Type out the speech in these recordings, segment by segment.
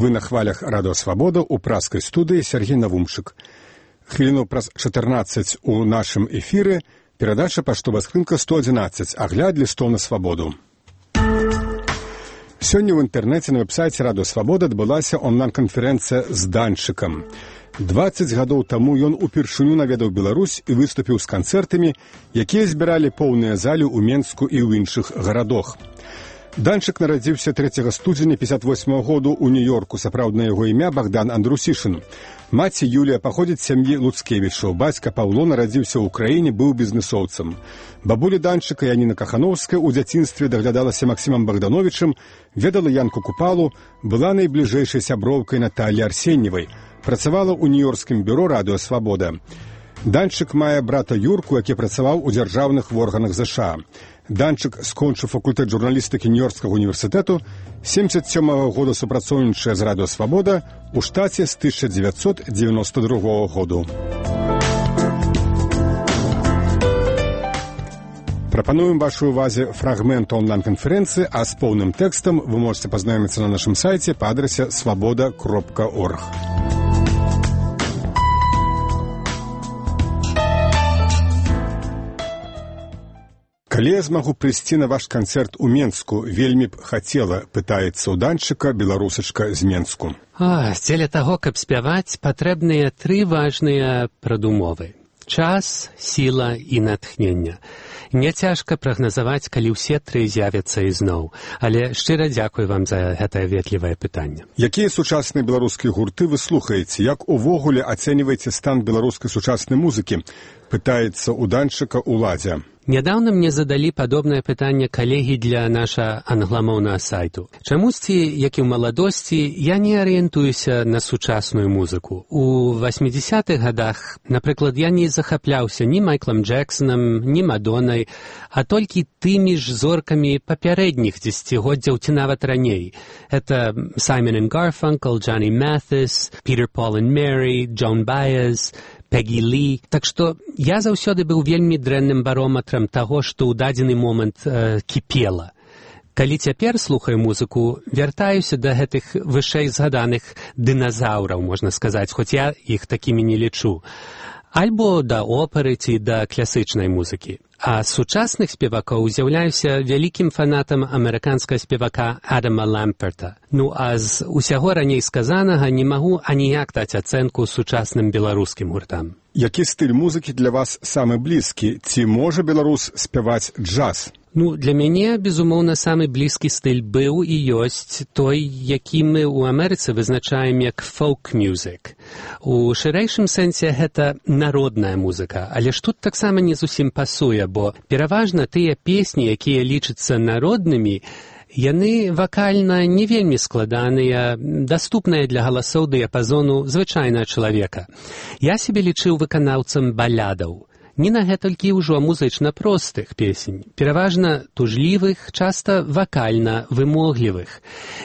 Вы на хвалях Радио Свобода у праскай студыі Сергей Навумчык. Хвіліну праз 14 у нашым эфіры перадача «Паштовая скрынка 111. Агляд лістоў на свабоду». Сёння ў інтэрнэце на вэб-сайце Радио Свобода адбылася онлайн-канферэнцыя з Данчыкам. 20 гадоў таму ён упершыню наведаў Беларусь і выступіў з канцэртамі, якія збіралі поўныя залі ў Менску і ў іншых гарадах. Данчык нарадзіўся 3 студзеня 58 году ў Нью-Йорку. Сапраўднае яго імя Богдан Андрусішын. Маці Юлія паходзіць з сям'і Луцкевічаў. Бацька Паўло нарадзіўся ў краіне, быў бізнесоўцам. Бабуля Данчыка Яніна Кахановская ў дзяцінстве даглядалася Максімам Богдановичам, ведала Янку Купалу, была найбліжэйшай сяброўкай Наталі Арсеньевай. Працавала ў нью-йоркскім бюро Радио Свобода. Данчык мае брата Юрку, які працаваў у дзяржаўных органах ЗША. Данчык скончыў факультэт журналістыкі Нью-Йоркскага універсітэту, 77-го года супрацоўнічае з Радио Свобода, у штаце з 1992 году. Прапануем вашай увазе фрагмент онлайн-канферэнцыі, а з поўным тэкстам вы можете пазнаёміцца на нашым сайце па адрасе svoboda.org. Калі я змагу прыйсці на ваш канцэрт у Менску, вельмі б хацела, пытаецца ў Данчыка беларусачка з Менску. Дзеля таго, каб спяваць, патрэбныя 3 важныя прадумовы. Час, сіла і натхнення. Мне цяжка прагназаваць, калі ўсе 3 з'явяцца ізноў, але шчыра дзякую вам за гэтае ветлівае пытанне. Якія сучасныя беларускія гурты вы слухаеце? Як увогуле ацэньваеце стан беларускай сучаснай музыкі? Пытаецца ў Данчыка Уладзя. Нядаўна мне задалі падобнае пытанне калегі для наша англамоўнага сайту. Чамусьці, як і ў маладосці, я не арыентуюся на сучасную музыку. У 80-х гадах, напрыклад, я не захапляўся ні Майклам Джексонам, ні Мадоннай, а толькі тымі ж зоркамі папярэдніх дзесяцігоддзяў ці нават раней. Это Simon and Garfunkel, Johnny Mathis, Peter, Paul and Mary, Joan Baez, Пегі Лі. Так што я заўсёды быў вельмі дрэнным барометрам таго, што ў дадзены момант кіпела. Калі цяпер слухаю музыку, вяртаюся да гэтых вышэй згаданых дыназаўраў, можна сказаць, хоць я іх такімі не лічу. Альбо да оперы ці да класычнай музыкі. А з сучасных спевакоў з'яўляюся вялікім фанатам амерыканскага спевака Адама Ламперта. А з усяго раней сказанага не магу аніяк даць ацэнку сучасным беларускім гуртам. Які стыль музыкі для вас самы блізкі? Ці можа беларус спяваць джаз? Для мяне, безумоўна, самы блізкі стыль быў і ёсць той, які мы ў Амерыцы вызначаем як folk-music. У шырэйшым сэнсе гэта народная музыка, але ж тут таксама не зусім пасуе, бо пераважна тыя песні, якія лічацца народнымі, яны вакальна не вельмі складаныя, даступныя для галасоў дыяпазону звычайнага чалавека. Я сябе лічыў выканаўцам балядаў. Не на гэтулькі ўжо музычна простых песень, пераважна тужлівых, часта вакальна вымоглівых.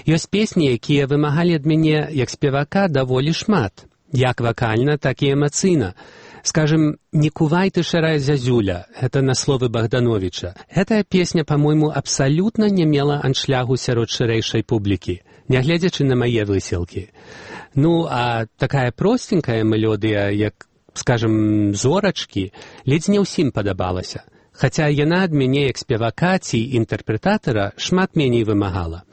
Ёсць песні, якія вымагалі ад мяне, як спевака, даволі шмат, як вакальна, так і эмацыйна. Скажем, «Не кувай ты, шарая зязюля» — это на словы Богдановича. Гэтая песня, по-мойму, абсалютна не мела аншлягу сярод шырэйшай публікі, нягледзячы на мае высілкі. А такая простенькая мелодыя, як скажем, зорачкі, ледзь не ўсім падабалася, хаця яна ад мяне як спевака ці інтэрпрэтатара шмат меней вымагала.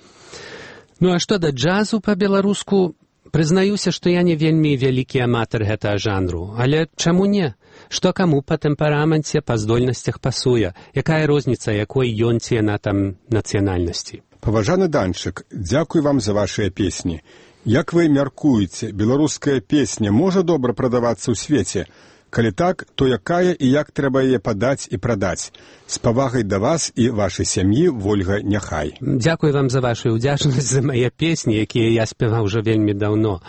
А што да джазу па-беларуску, прызнаюся, што я не вельмі вялікі аматар гэтага жанру, але чаму не? Што каму па тэмпераменце, па здольнасцях пасуе, якая розніца, якой ён ці яна там нацыянальнасці. Паважаны Данчык, дзякуй вам за вашыя песні. Як вы мяркуеце, беларуская песня можа добра прадавацца ў свеце? Калі так, то якая і як трэба яе падаць і прадаць? З павагай да вас і вашай сям'і, Вольга Няхай. Дзякуй вам за вашу ўдзячнасць за мае песні, якія я спяваў ўжо вельмі даўно.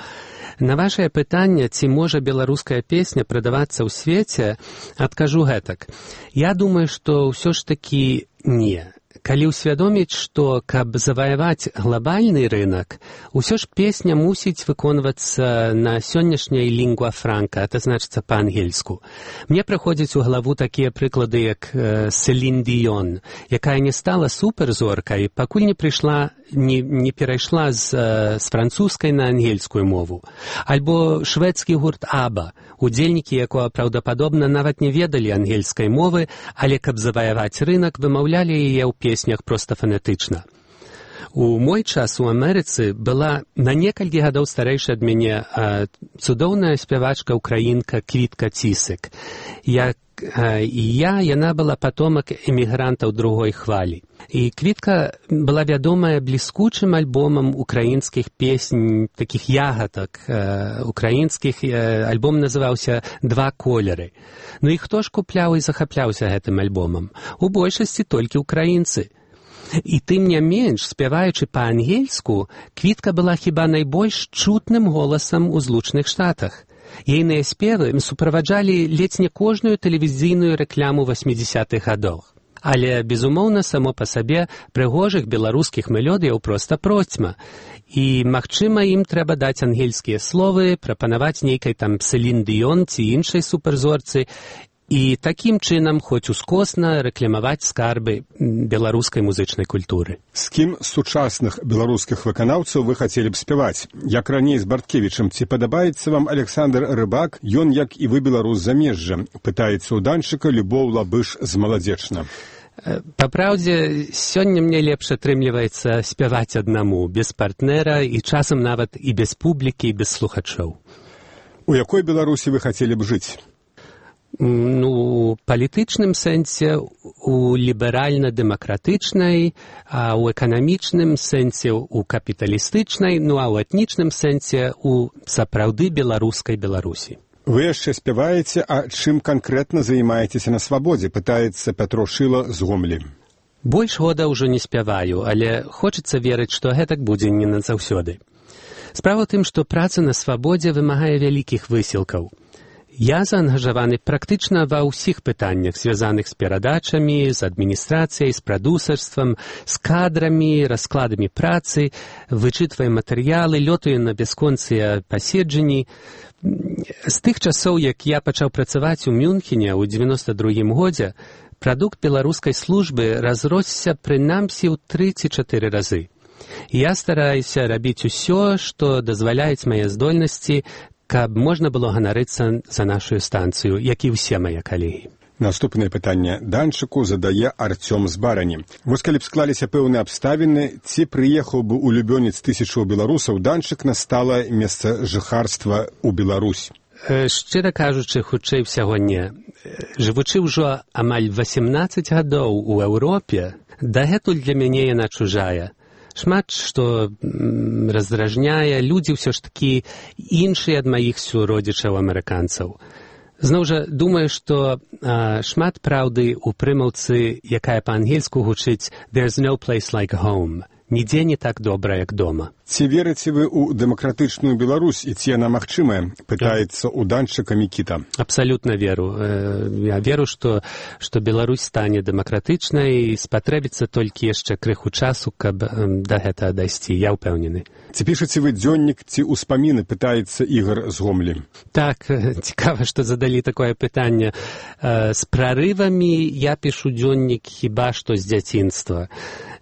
На вашае пытанне, ці можа беларуская песня прадавацца ў свеце, адкажу гэтак. Я думаю, што ўсё ж такі не. Калі ўсвядоміць, што, каб заваяваць глобальны рынок, усё ж песня мусіць выконвацца на сённяшняй лінгва франка, это значыцца па-ангельску. Мне прыходзяць у галаву такія прыклады, як Селін Діён, якая не стала суперзоркай, пакуль не прыйшла не перайшла з французскай на ангельскую мову. Альбо шведскі гурт «Аба», удзельнікі якога праўдападобна нават не ведалі ангельскай мовы, але каб заваяваць рынак, вымаўлялі яе ў песнях проста фанетычна. У мой час у Амерыцы была на некалькі гадоў старэйшая ад мяне цудоўная спявачка украінка Квітка Цісык. Яна была патомак эмігрантаў другой хвалі. І Квітка была вядомая бліскучым альбомам украінскіх песень, такіх ягадак украінскіх. Альбом называўся «Два колеры». Ну і хто ж купляў і захапляўся гэтым альбомам? У большасці толькі ўкраінцы. І тым не менш, спяваючы па-ангельску, Квітка была хіба найбольш чутным голасам у Злучаных Штатах. Ейныя спевы суправаджалі ледзь не кожную тэлевізійную рэкляму 80-х гадоў. Але, безумоўна, само па сабе прыгожых беларускіх мелодыяў проста процьма. І, магчыма, ім трэба даць ангельскія словы, прапанаваць нейкай там Селін Дыён ці іншай суперзорцы, і такім чынам хоць ускосна рэкламаваць скарбы беларускай музычнай культуры. З кім з сучасных беларускіх выканаўцаў вы хацелі б спяваць? Як раней з Барткевічам, ці падабаецца вам Александр Рыбак, ён, як і вы, беларус замежжа? Пытаецца ў данчыка Любоў Лабыш з Маладзечна. Па праўдзе, сёння мне лепш атрымліваецца спяваць аднаму, без партнера і часам нават і без публікі, і без слухачоў. У якой Беларусі вы хацелі б жыць? У палітычным сэнсе, у ліберальна-дэмакратычнай, а ў эканамічным сэнсе у капіталістычнай, ну а ў этнічным сэнсе у сапраўды беларускай Беларусі. Вы яшчэ спяваеце, а чым канкрэтна займаецеся на свабодзе, пытаецца Пятро Шыла з Гомлі. Больш года ўжо не спяваю, але хочацца верыць, што гэтак будзе не назаўсёды. Справа ў тым, што праца на свабодзе вымагае вялікіх высілкаў. Я заангажаваны практычна ва ўсіх пытаннях, звязаных з перадачамі, з адміністрацыяй, з прадусарствам, з кадрамі, раскладамі працы, вычытваю матэрыялы, лётаю на бясконцыя паседжанні. З тых часоў, як я пачаў працаваць у Мюнхене ў 92-м годзе, прадукт беларускай службы разросся прынамсі ў 3 ці 4 разы. Я стараюся рабіць усё, што дазваляюць мае здольнасці, каб можна было ганарыцца за нашу станцыю, як і ўсе мае калегі. Наступнае пытанне данчыку задае Арцём з Барані. Вось калі б склаліся пэўныя абставіны, ці прыехаў бы улюбёнец тысячаў беларусаў, данчык на сталае месца жыхарства ў Беларусь? Шчыра кажучы, хутчэй усяго не. Жывучы ўжо амаль 18 гадоў у Еўропе, дагэтуль для мяне яна чужая. Шмат што раздражняе, людзі ўсё ж такі іншыя ад маіх суродзічаў-амерыканцаў. Зноў жа, думаю, што шмат праўды ў прымаўцы, якая па-ангельску гучыць «There's no place like home». Нідзе не так добра, як дома. Ці верыце вы ў дэмакратычную Беларусь, і ці яна магчымая? Пытаецца ў данчыка Мікіта. Абсалютна веру. Я веру, што Беларусь стане дэмакратычнай, і спатрэбіцца толькі яшчэ крыху часу, каб да гэтага дайсці. Я ўпэўнены. Ці пішаце вы дзённік, ці ўспаміны, пытаецца Ігар з Гомлі. Так, цікава, што задалі такое пытанне. З прарывамі я пішу дзённік хіба што з дзяцінства.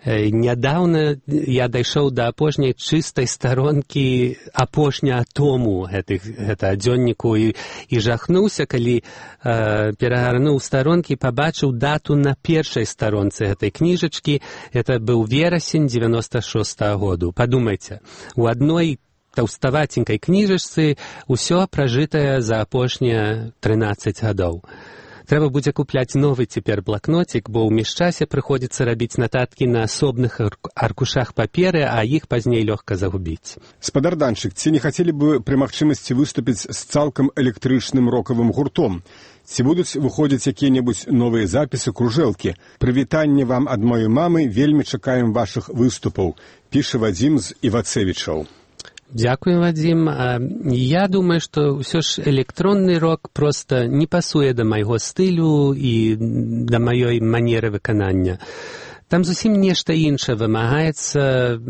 Нядаўна я дайшоў да апошняй чыстай старонкі апошняга тому гэтага дзённіку і жахнуўся, калі перагарнуў старонкі, пабачыў дату на першай старонцы гэтай кніжачкі. Это быў верасень 96-го году. Падумайце, у адной таўставаценькай кніжачцы ўсё пражытае за апошнія 13 гадоў. Трэба будзе купляць новы цяпер блакнотик, бо ў міжчасе прыходзіцца рабіць нататкі на асобных аркушах паперы, а іх пазней лёгка загубіць. Спадар данчык, ці не хацелі бы пры магчымасці выступіць з цалкам электрычным рокавым гуртом? Ці будуць выходзіць якія-небудзь новыя запісы, кружэлкі? Прывітанне вам ад маёй мамы, вельмі чакаем вашых выступаў, піша Вадзім з Івацевічаў. Дзякую, Вадзім. Я думаю, што ўсё ж электронны рок проста не пасуе да майго стылю і да маёй манеры выканання. Там зусім нешта іншае вымагаецца,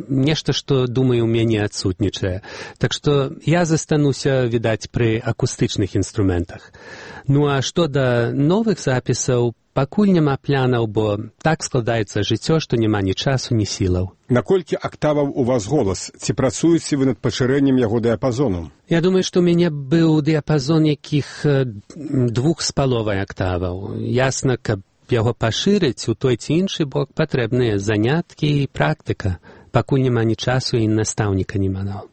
нешта, што, думаю, у мяне адсутнічае. Так што я застануся, відаць, пры акустычных інструментах. Ну а што да новых запісаў, пакуль няма планаў, бо так складаецца жыццё, што няма ні часу, ні сілаў. Наколькі актаваў у вас голас? Ці працуеце вы над пашырэннем яго дыяпазону? Я думаю, што ў мяне быў дыяпазон якіх 2,5 актаваў. Ясна, каб яго пашырыць у той ці іншы бок патрэбныя заняткі і практыка. Пакуль няма ні часу і настаўніка няма.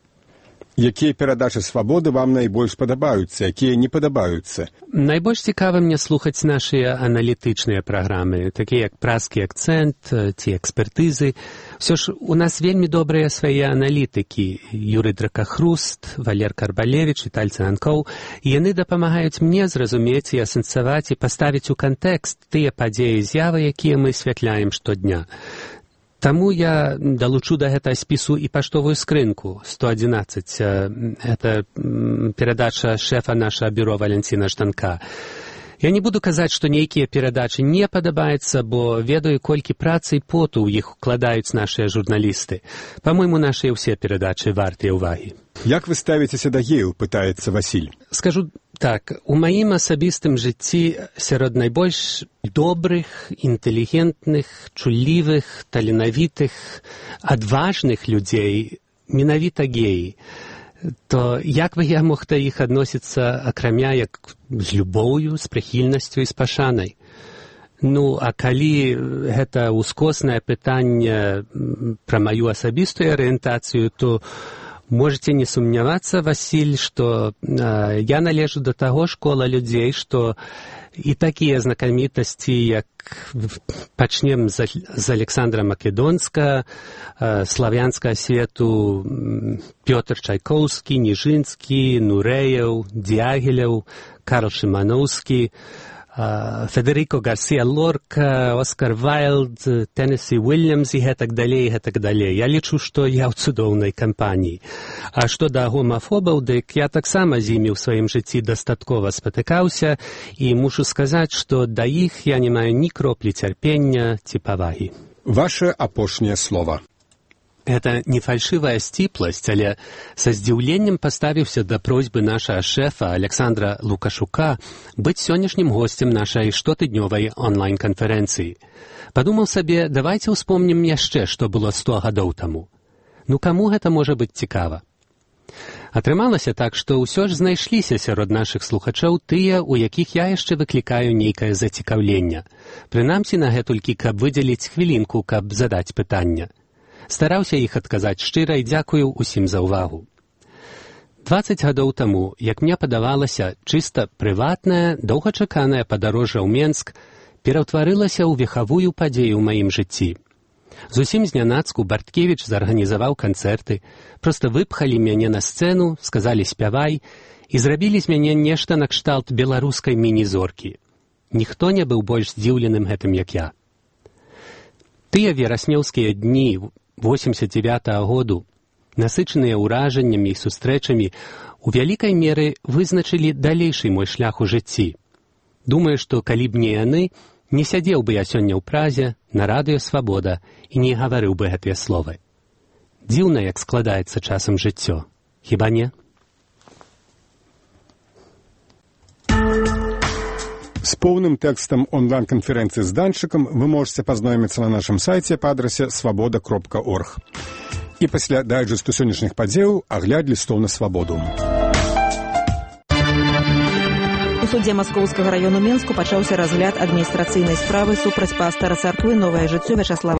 Якія перадачы свабоды вам найбольш падабаюцца, якія не падабаюцца? Найбольш цікава мне слухаць нашыя аналітычныя праграмы, такія як «Празкі акцэнт» ці «Экспертызы». Усё ж у нас вельмі добрыя свае аналітыкі. Юрый Дракахруст, Валер Карбалевіч, Віталь Цанкоў. І яны дапамагаюць мне зразумець і асэнсаваць і паставіць у кантэкст тыя падзеі і з'явы, якія мы асвятляем штодня. Таму я далучу да гэтага спісу і паштовую скрынку 111. Гэта перадача шэфа нашага бюро Валянціна Жданка. Я не буду казаць, што нейкія перадачы не падабаюцца, бо ведаю, колькі працы і поту ў іх укладаюць нашыя журналісты. Па-мойму, нашыя ўсе перадачы вартыя ўвагі. Як вы ставіцеся да геяў, пытаецца Васіль. Скажу так, у маім асабістым жыцці сярод найбольш добрых, інтэлігентных, чуллівых, таленавітых, адважных людзей менавіта геі. То як бы я мог да іх адносіцца акрамя як з любоўю, з прыхільнасцю і з пашанай? Ну, а калі гэта ўскоснае пытанне пра маю асабістую арыентацыю, то можете не сумнявацца, Васіль, што я належу да таго школа людзей, што і такія знакамітасці, як пачнем з Александра Македонска, славянскага свету Пётр Чайкоўскі, Ніжынскі, Нурэеў, Дягілеў, Карл Шымановскі, Федерико Гарсія Лорка, Оскар Вайлд, Теннесі Уильямс і гэтак далей, гэтак далей. Я лічу, што я ў цудоўнай кампаніі. А што да гомафобаў, дык я таксама з імі ў сваім жыцці дастаткова спатыкаўся і мушу сказаць, што да іх я не маю ні кроплі цярпення ці павагі. Ваше апошняе слова. Это не фальшивая сціпласць, але са здзіўленнем паставіўся да просьбы нашага шэфа Александра Лукашука быць сённяшнім госцем нашай штотыднёвай онлайн-канферэнцыі. Падумаў сабе, давайце ўспомнім яшчэ, што было 100 гадоў таму. Ну, каму гэта можа быць цікава? Атрымалася так, што ўсё ж знайшліся сярод нашых слухачоў тыя, у якіх я яшчэ выклікаю нейкае зацікаўленне. Прынамсі на гэтулькі, каб выдзеліць хвілінку, каб задаць пытанне. Стараўся іх адказаць шчыра і дзякую ўсім за ўвагу. 20 гадоў таму, як мне падавалася, чыста прыватная, доўгачаканая падарожжа ў Менск пераўтварылася ў вехавую падзею ў маім жыцці. Зусім знянацку Барткевіч зарганізаваў канцэрты, проста выпхалі мяне на сцэну, сказалі «спявай» і зрабілі з мяне нешта накшталт беларускай міні-зоркі. Ніхто не быў больш здзіўленым гэтым, як я. Тыя вераснёўскія дні 89-го году, насычаныя ўражаннямі і сустрэчамі, у вялікай меры вызначылі далейшы мой шлях у жыцці. Думаю, што калі б не яны, не сядзеў бы я сёння ў Празе, на радыё «Свабода» і не гаварыў бы гэтыя словы. Дзіўна, як складаецца часам жыццё. Хіба не? З поўным тэкстам онлайн-канферэнцыі з Данчыкам вы можете пазнаёміцца на нашым сайце па адрасе свабода.орг. І пасля дайджэсту сённяшніх падзеяў агляд лістоў на свабоду. У судзе Маскоўскага раёну Менску пачаўся разгляд адміністрацыйнай справы супраць пастара царквы «Новае жыццё» Вячаслава